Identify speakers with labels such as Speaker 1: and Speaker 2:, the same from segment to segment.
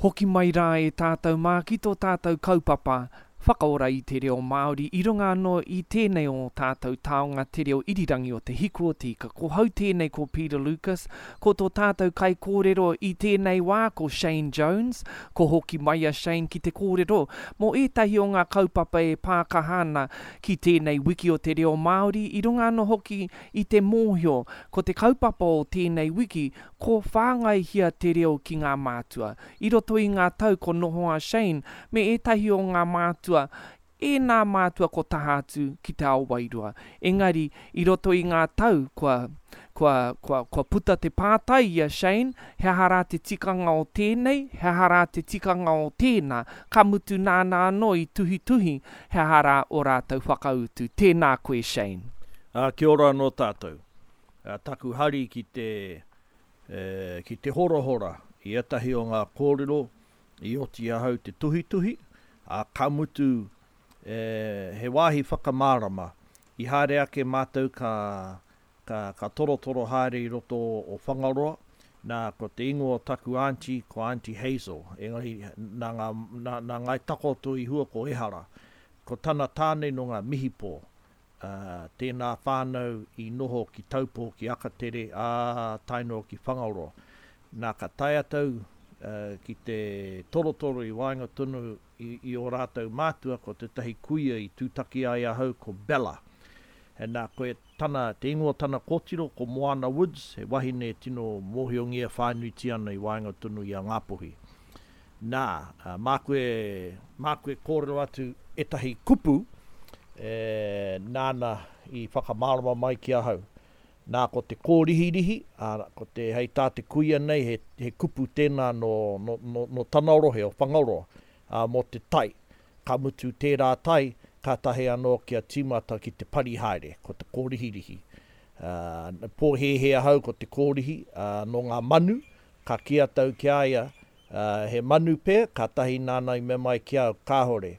Speaker 1: Hoki mai rā e tātou mā ki tō tātou kaupapa whakaora i te reo Māori i runga anō i tēnei o tātou taonga te reo irirangi o Te Hiku o Te Ika. Ko hau tēnei ko Peter Lucas, ko tō tātou kaikōrero i tēnei wā ko Shane Jones. Ko hoki mai a Shane ki te kōrero mō ētahi o ngā kaupapa e pākaha ana ki tēnei wiki o te reo Māori i runga anō hoki i te mōhio ko te kaupapa o tēnei wiki Ko whāngaihia te reo ki ngā mātua. I roto i ngā tau ko noho a Shane me ētahi o ngā mātua, ēnā mātua ko taha atu ki te ao wairua. Engari, i roto i ngā tau kua, kua, kua, kua puta te pātai i a Shane, he aha rā te tikanga o tēnei, he aha rā te tikanga o tēnā, ka mutu nāna anō i tuhituhi he aha rā o rātou whakautu. Tēnā koe Shane.
Speaker 2: Ā, kia ora anō tātou. Taku hari ki te, ki te horahora i ētahi o ngā kōrero i oti ahau te tuhituhi, ā, ka mutu, he wāhi whakamārama. I haere ake mātou ka, ka, ka torotoro haere i roto o Whangaroa, nā, ko te ingoa o taku aunty, ko Aunty Hazel, engari nā ngā, nā, nā Ngāi Takoto i hua ko Ehara. Ko tana tāne nō ngā Mihipō. Ā, tēnā whānau i noho ki Taupō, ki Akatere, ā, tae noa ki Whangaroa. Nā, ka tae atu ki te torotoro i waenga tonu i, i ō rātou mātua, ko tētahi kuia i tūtaki ai ahau, ko Bella. Nā, ko tana, te ingoa o tana kōtiro, ko Moana Woods, he wahine tino mōhiongia whānuitia ana i waenga tonu i a Ngāpuhi. Nā, māku e, māku e kōrero atu ētahi kupu e, nāna i whakamārama mai ki ahau. Nā, ko te kōrihirihi, ā, ko te, hei tā te kuia nei, he, he kupu tēnā nō, nō, nō, nō tana rohe o Whangaroa, ā, mō te tai. Ka mutu tērā tai, kātahi anō kia tīmata ki te pari haere, ko te kōrihirihi. Ā, pōhēhē ahau ko te kōrihi, ā, nō ngā manu, Ka kī atau ki a ia, He manu pea, kātahi nāna i mea mai ki au, Kāore.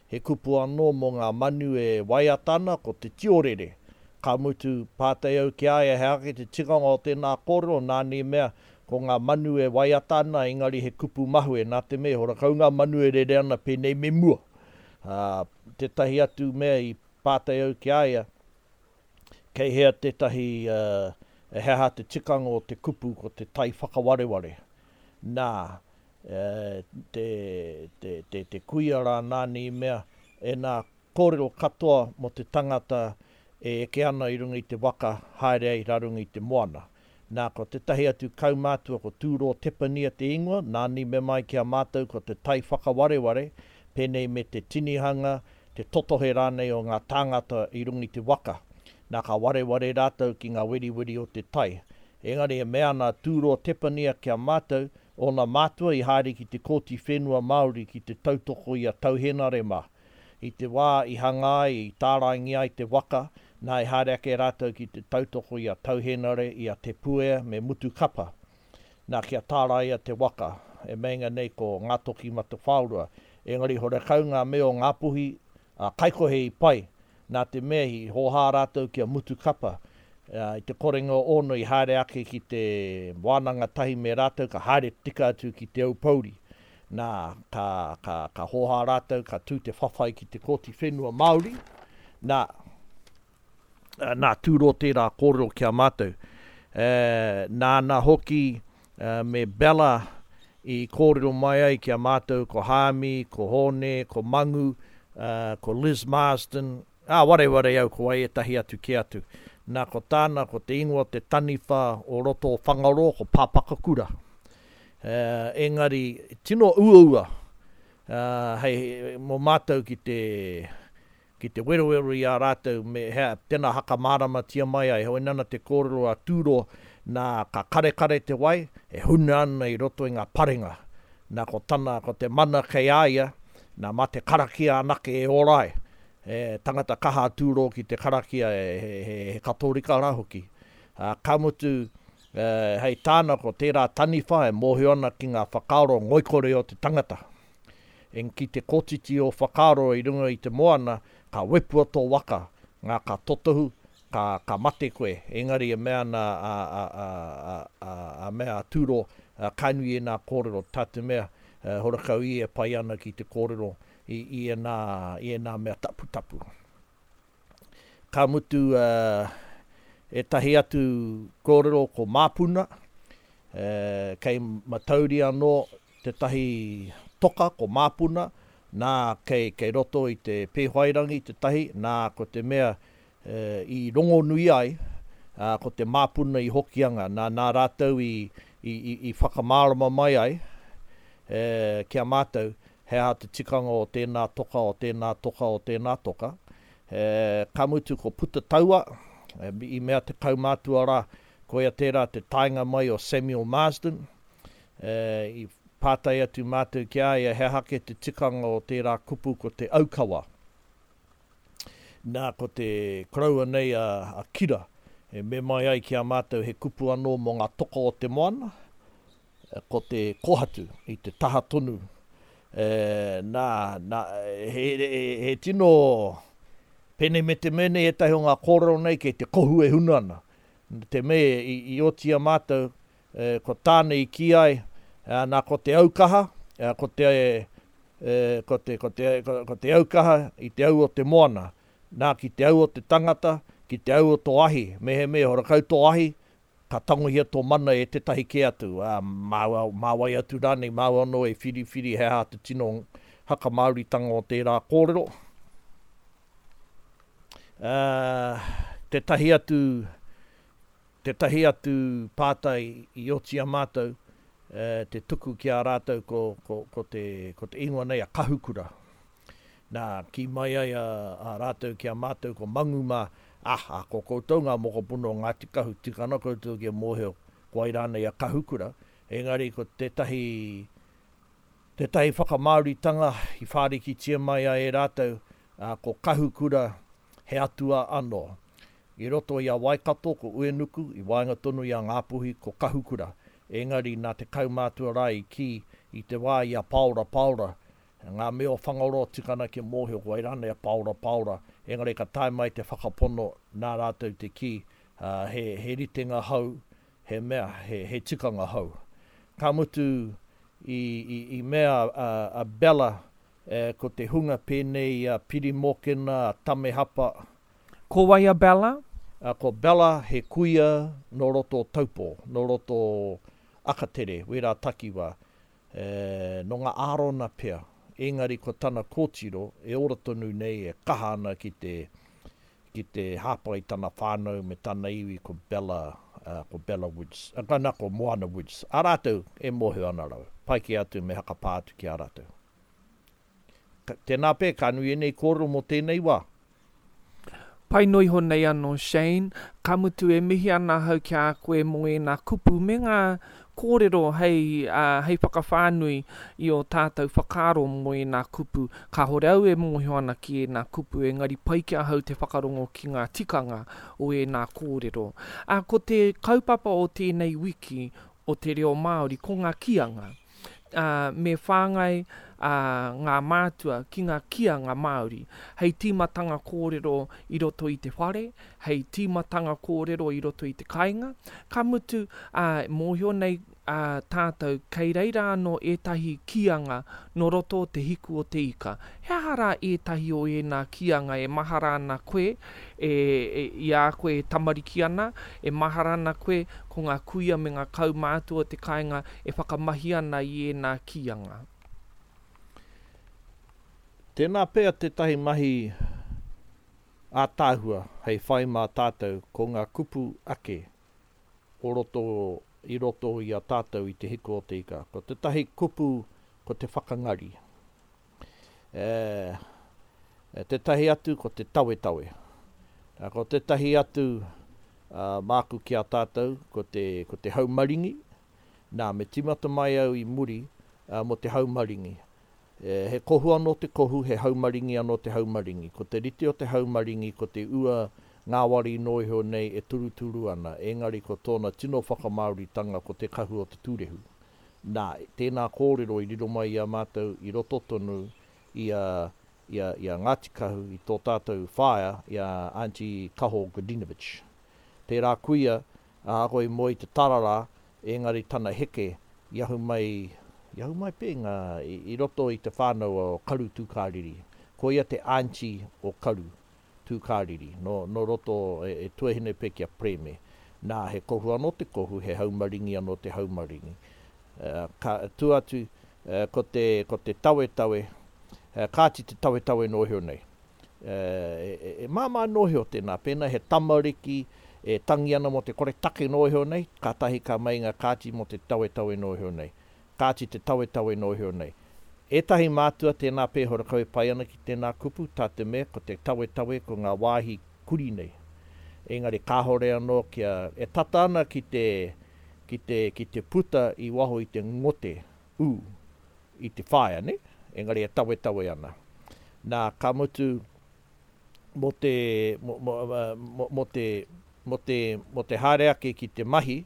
Speaker 2: He kupu anō mō ngā manu e waiata ana, ko te tiorere. Ka mutu, pātai au ki a ia he ake te tikanga o tēnā kōrero, nāna i mea, ko ngā manu e waiata ana, engari he kupu mahue, nā te mea, horakau ngā manu e rere ana pēnei me mua. Ā, tētahi atu mea i pātai au ki a ia, Kei hea tētahi, he aha te tikanga o te kupu ko te tai whakawareware? Nā, te, te, te, te kuia rā nāna i mea, e nā kōrero katoa mō te tangata e eke ana i runga i te waka haere ai rā runga i te moana. Nā, ko tētahi atu kaumātua ko Tūrō Tepania te ingoa, nāna i mea mai ki a mātou ko te tai whakawareware, pēnei me te tinihanga, te totohe rānei o ngā tāngata i runga i te waka. Nā, ka wareware rātou ki ngā weriweri o te tai. Engari e mea ana a Tūrō Tepania ki a mātou, ōna mātua i haere ki te Kōti Whenua Māori ki te tautoko i a Tau Henare mā. I te wā i hanga ai, i tāraingia ai te waka, nā i haere ake rātou ki te tautoko i a Tau Hēnare, i a Te Puea me Mutukapa. Nā, kia tāraia te waka, e meinga nei ko Ngātokimatawhaorua. Engari horekau ngā mea o Ngāpuhi, a Kaikohe i pai, nā te mea i hōhā rātou ki a Mutukapa. I te korenga ōna i haere ake ki te wānanga tahi me rātou, ka haere tika atu ki Te Aupōuri. Nā, ka, ka, ka hōhā rātou, ka tū te whawhai ki te Kōti Whenua Māori. Nā, nā Tūro tērā kōrero ki a mātou. E, nāna hoki me Bella i kōrero mai ai ki a mātou ko Hāmi, ko Hōne, ko Mangu, ko Liz Marsden, ā, wareware au ko wai ētahi atu kē atu. Nā, ko tāna, ko te ingoa o te taniwha o roto o Whangaroa, ko Pāpakakura. Engari, tino uaua hei mō mātou ki te, ki te werowero i a rātou me hea, tēnā hakamāramatia mai ai. Heoi nana te kōrero a Tūro, nā, ka karekare te wai, e huna ana i roto i ngā parenga. Nā, ko tana, ko te mana kei a ia, nā, mā te karakia anake e ora ai. He tangata kaha a Tūro ki te karakia, he, he, he Katorika rā hoki. Ā, ka mutu, Hei tāna ko tērā taniwha e mōhio ana ki ngā whakaaro ngoikore o te tangata. Eng ki te kotiti o whakaaro i runga i te moana, ka wepua tō waka, ngā ka totohu, ka, ka mate koe. Engari e mea ana a, a, a, a, a, a mea a Turo, ka nui ēnā kōrero, tā te mea, Horakau ia e pai ana ki te kōrero i, i ēnā, i ēnā mea taputapu. Ka mutu ētahi atu kōrero ko Māpuna, kei Matauri anō tētahi toka ko Māpuna, nā kei, kei roto i te Pēwhairangi tētahi, nā ko te mea i rongonui ai, ko te Māpuna i Hokianga, nā, nā rātou i, i, i, i whakamārama mai ai ki a mātou he aha te tikanga o tēnā toka, o tēnā toka, o tēnā toka. Ka mutu ko Puta Taua, i mea te kaumātua rā, koia tērā te taenga mai o Samuel Marsden. I pātai atu mātou ki a ia he aha kē te tikanga o tērā kupu ko te aukawa. Nā, ko te koroua nei a Kira, e me mai ai ki a mātou he kupu anō mō ngā toka o te moana, ko te kohatu i te taha tonu. E, nā, nā, he, he, he tino pēnei me te mea nei ētahi o ngā kōrero nei kei te kohu e huna ana. Te mea i, i oti a mātou, e, ko tāna i kī ai, e, nā ko te aukaha, e, ko te, e, ko te, ko te, ko, ko te aukaha i te au o te moana. Nā, ki te au o te tangata, ki te au o tō ahi, mehemea horakau tō ahi, ka tangohia tō mana e tētahi kē atu, ā, mā, mā wai atu rānei, māu anō e whiriwhiri he aha te tino hakamāoritanga o tērā kōrero. Ā, tētahi atu, tētahi atu pātai i oti a mātou, e, te tuku ki a rātou ko, ko, ko te, ko te ingoa nei a Kahukura. Nā, kī mai ai a, a rātou ki a mātou ko Mangu mā, Aha, ko koutou ngā mokopuna o Ngāti Kahu, tika ana koutou kia mōhio ko wai rānei a Kahukura, engari ko tētahi, tētahi whakamāoritanga i whārikitia mai ai e rātou, ā, ko Kahukura he atua anō. I roto i a Waikato ko Uenuku, i waenga tonu i a Ngāpuhi ko Kahukura, engari nā te kaumātua rā i kī i te wā i a Pāora Pāora, Ngā mea o Whangaroa tika ana kia mōhio ko wai rānei a Paora Paora, engari ka tae mai te whakapono nā rātou te kī, he, he ritenga hou, he mea, he, he tikanga hou. Ka mutu i, i, i mea a, a Bella, e, ko te hunga pēnei i a Piri Mōkena, a Tame Hapa.
Speaker 1: Ko wai a Bella?
Speaker 2: A, ko Bella he kuia nō roto o Taupō, nō roto o Akatere, wērā takiwā. E, nō ngā Ārona pea, engari ko tana kōtiro e ora tonu nei e kaha ana ki te, ki te hāpai i tana whānau me tana iwi ko Bella, ko Bella Woods, nā, ko Moana Woods. A rātou e mōhio ana rawa. Pai kē atu me hakapā atu ki a rātou. Tēnā pea, ka nui ēnei kōrero mō tēnei wā.
Speaker 1: Pai noa iho nei anō Shane, ka mutu e mihi ana ahau ki a koe mō ēnā kupu me ngā kōrero hei, hei whakawhānui i ō tātou whakaaro mō ēnā kupu. Kāhore au e mōhio ana ki ēnā kupu engari pai ki ahau te whakarongo ki ngā tikanga o ēnā kōrero. Ā, ko te kaupapa o tēnei wiki o te reo Māori ko ngā kīanga. ā, me whāngai ā, ngā mātua ki ngā kīanga Māori, hei tīmatanga kōrero i roto i te whare, hei tīmatanga kōrero i roto i te kāinga, ka mutu, ā, mōhio nei ā, tātou kei reira anō ētahi kīanga nō roto o te hiku o te ika. He aha rā ētahi o ēnā kīanga e mahara ana koe, e, e, i a koe e tamariki ana, e mahara ana koe ko ngā kuia me ngā kaumātua o te kāinga e whakamahi ana i ēnā kīanga.
Speaker 2: Tēnā pea tētahi mahi ātaahua hei whai mā tātou ko ngā kupu ake o roto i roto i a tātou i Te Hiku o te Ika. Ko tētahi kupu ko te whakangari. E, e tētahi atu ko te tawetawe. Ko tētahi atu māku ki a tātou ko te, ko te haumaringi. Nā, me tīmata mai au i muri mō te haumaringi. He kohu anō te kohu, he haumaringi anō te haumaringi. Ko te rite o te haumaringi ko te ua ngāwari noa iho nei e turuturu ana, engari ko tōna tino whakamāoritanga ko te kahu o te tūrehu. Nā, tēnā kōrero i riro mai i a mātou i roto tonu i a, i a, i a Ngāti Kahu, i tō tātou whaea, i a Aunty Kaho Godinovich. Tērā kuia, ahakoa i moe i te tararā, engari tana heke i ahu mai I ahu mai pea i ngā, i roto i te whānau o Karu Tūkāriri. Ko ia te aunty o Karu Tūkāriri, nō, nō roto e, e tuahine pea ki a Preme. Nā, he kohu anō te kohu, he haumaringi anō te haumaringi. Ka, tua atu, ko te, ko te tawetawe, kāti te tawetawe nōhio nei. E, e māmā nōhio tēnā, pēnā he tamariki e tangi ana mō te kore take nōhio nei, kātahi ka meinga kāti mō te tawetawe nōhio nei. Kāti te tawetawe nōhio nei. Ētahi mātua tēnā pē horakau e pai ana ki tēnā kupu, tā te mea ko te tawetawe ko ngā wāhi kuri nei. Engari kāhore anō kia, e tata ana ki te, ki te, ki te puta i waho i te ngote, ū, i te whaea, nē? Engari e tawetawe ana. Nā, ka mutu, mō te, mō, mō, mō, mō te, mō te, mō te haere ake ki te mahi,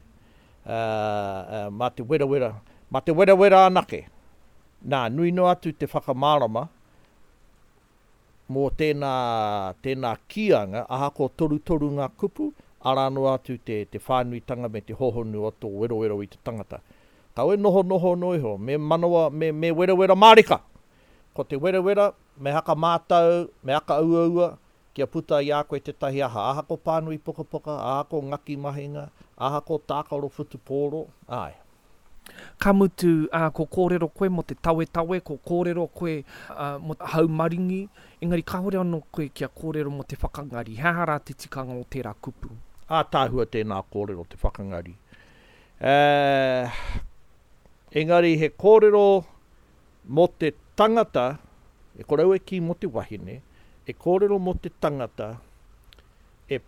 Speaker 2: ā, ā, mā te werawera, mā te werawera anake. Nā, nui noa atu te whakamārama mō tēnā, tēnā kīanga, ahakoa torutoru ngā kupu, arā noa atu te, te whānuitanga me te hōhonu o tō werowero i te tangata. Kaua e nohonoho noa iho, me manawa, me, me werawera mārika! Ko te werawera, me haka mātau, me aka uaua, kia puta i a koe tētahi aha, ahako pānui pukapuka, ahako ngaki mahinga, ahako tākaro whutupōro, āe.
Speaker 1: Ka mutu, ā, ko kōrero koe mō te tawetawe, ko kōrero koe, ā, mō te haumaringi, engari kāore anō koe kia kōrero mō te whakangari. He aha rā te tikanga o tērā kupu?
Speaker 2: Ātaahua tēnā kōrero, te whakangari. Ā, engari he kōrero mō te tangata, e kore au e kī mō te wahine, e kōrero mō te tangata e,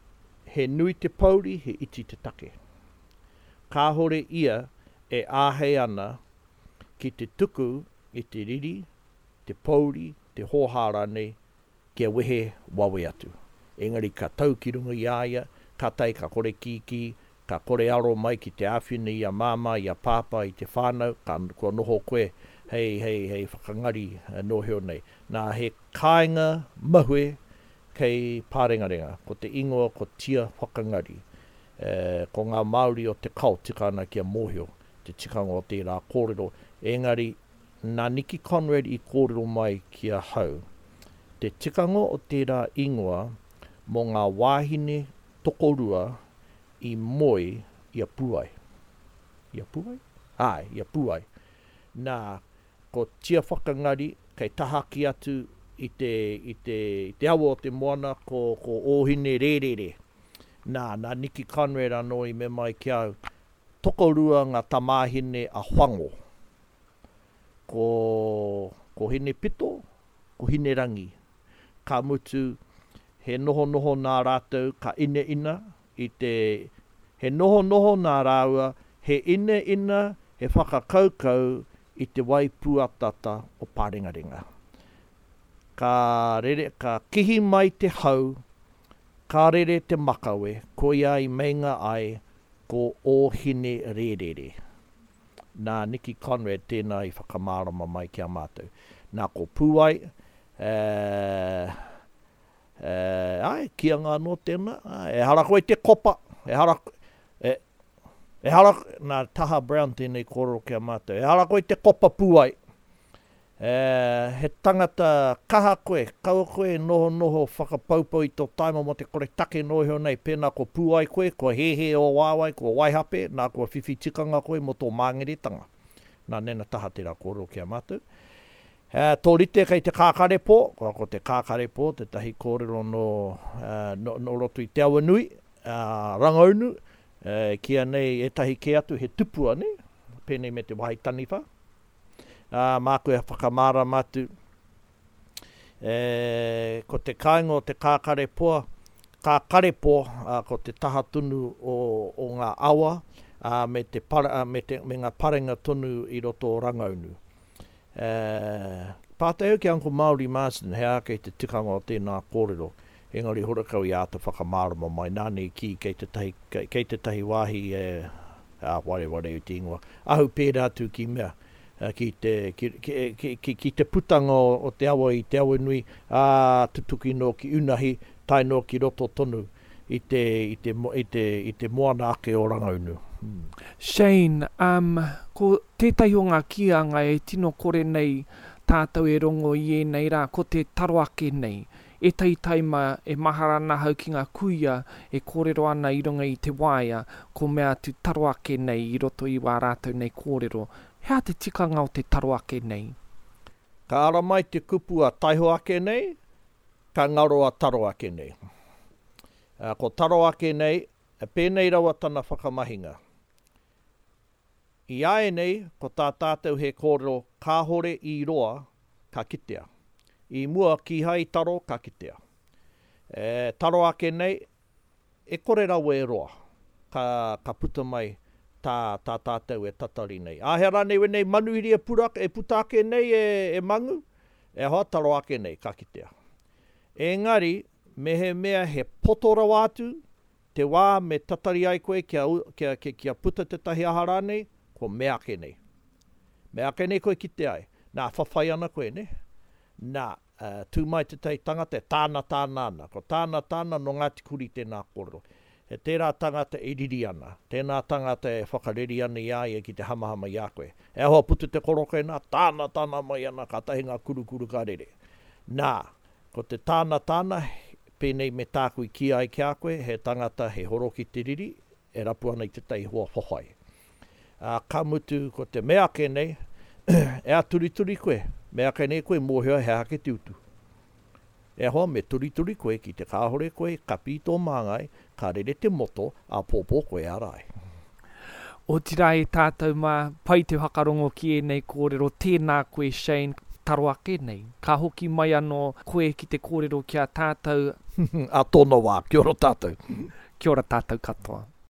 Speaker 2: he nui te pouri, he iti te take. Kāhore ia e āhei ana ki te tuku i te riri, te pouri, te hōhā rānei kia wehe wawe atu. Engari ka tau ki runga i a ia, kātahi ka kore kīkī, ka kore aro mai ki te āwhina i a māmā, i a pāpā, i te whānau, ka, kua noho koe hei, hei, hei whakangari nōhio nei. Nā, he kāinga mahue kei Pārengarenga, ko te ingoa ko Tia Whakangari. E, ko ngā Māori o te kao tika ana kia mōhio te tikanga o tērā kōrero, engari nā Nicky Conrad i kōrero mai ki ahau te tikanga o tērā ingoa mō ngā wāhine tokorua i moe i a Puai. I a Puai? Āe, i a Puai. Nā, ko Tia Whakangari kei tahaki atu i te, i te, i te awa o te moana ko, ko Ōhine Rērere. Nā, nā Nicky Conrad anō i me mai ki au, tokorua ngā tamāhine a Whango. Ko, ko Hinepito, ko Hinerangi. Ka mutu, he nohonoho nā rātou ka inaina i te, he nohonoho nā rāua, he inaina, he whakakaukau i te wai pūataata o Pārengarenga. Ka rere, ka kihi mai te hau, ka rere te makawe, koia i meinga ai ko Ōhinerērere. Nā Nicky Conrad tēnā i whakamārama mai ki a mātou. Nā ko Pūai, e, e, āe, kīanga anō tēnā, āe, ehara koe i te kopa, ehara, e, ehara, nā Taha Brown tēnei kōrero ki a mātou, ehara koe i te kopa Pūai, E, he tangata kaha koe, kaua koe e nohonoho whakapoupou i tō taima mō te kore take noa iho nei, pēnā kua pūai koe, kua hēhē ō waewae, kua waihape, nā kua whiwhi tikanga koe mō tō māngeretanga. Nā Nena Taha tērā kōrero ki a mātou. E, tō rite kei te kākarepō, kua ko te kākarepō tētahi kōrero nō, nō, nō roto i Te Awanui, ā, Rangaunu, e, kīia nei ētahi kē atu he tupua, nē, pēnei me te wahi taniwha. Ā, māku e whakamārama atu, e, ko te kāinga o te kākarepoa, kākarepo, ā, ko te taha tonu o, o ngā awa, ā, me te para, ā, me te, me ngā parenga tonu i roto o Rangaunu. E, pātai au ki a Uncle Māori Marsden, he aha kei te tikanga o tēnā kōrero, engari horakau i āta whakamārama mai, nāna i kī kei tētahi, kei, kei tētahi wāhi e, ā, wareware i te ingoa, ahu pērā atu ki mea, ki te, ki, ki, ki, ki te putanga o te awa i Te Awanui, ā, tutuki noa ki Unahi, tae noa ki roto tonu i te, i te, i te, i te moana ake o Rangaunu.
Speaker 1: Shane, um, ko tētahi o ngā kīanga e tino kore nei tātou e rongo i ēnei rā, ko te taro ake nei. Ētahi taima e mahara ana ahau ki ngā kuia e kōrero ana i runga i te waea, ko mea atu taro ake nei i roto i wā rātou nei kōrero. He aha te tikanga o te taro ake nei?
Speaker 2: Ka ara mai te kupu a taiho ake nei, ka ngaro a taro ake nei. Ko taro ake nei, pēnei rawa tana whakamahinga. I āianei, ko tā tātou he kōrero kāhore i roa ka kitea. I mua kīhai i taro ka kitea. E taro ake nei, e kore rawa e roa ka, ka puta mai tā, tā tātou e tatari nei. Āhea rānei wēnei manuhiri e pura, e puta ake nei e, e mangu? E hoa, taro ake nei, ka kitea. Engari, mehemea he poto rawa atu, Te wā me tatari ai koe kia, kia, kia, kia puta tētahi aha rānei, ko meake nei. Meake nei koe kite ai. Nā, whawhai ana koe, nē? Nā, uh, tū mai tētahi tangata e tāna tāna ana. Ko tāna tāna nō Ngāti Kurī tēnā kōrero. He tērā tangata e riri ana, tēnā tangata e whakareri ana i a ia ki te hamahama i a koe. E ahoa puta te koroke nā, tāna tāna mai ana, kātahi ngā kurukuru ka rere. Nā, Ko te tāna tāna, pēnei me tāku i kī ai ki a koe, he tangata he horo ki te riri, e rapu ana i tētahi hoa whawhai. Ā, ka mutu, ko te mea ake nei, e āturituri koe, mea ake nei koe mōhio he aha ke te utu. E hoa, me turituri koe ki te kāhore koe i kapi i tō māngai, ka rere te moto, āpōpō koe e ara ai.
Speaker 1: Otirā e tātou mā, pai te whakarongo ki ēnei kōrero, tēnā koe Shane, taro ake nei. Ka hoki mai anō koe ki te kōrero ki a tātou.
Speaker 2: Ā tōna wā, kia ora tātou.
Speaker 1: Kia ora tātou katoa.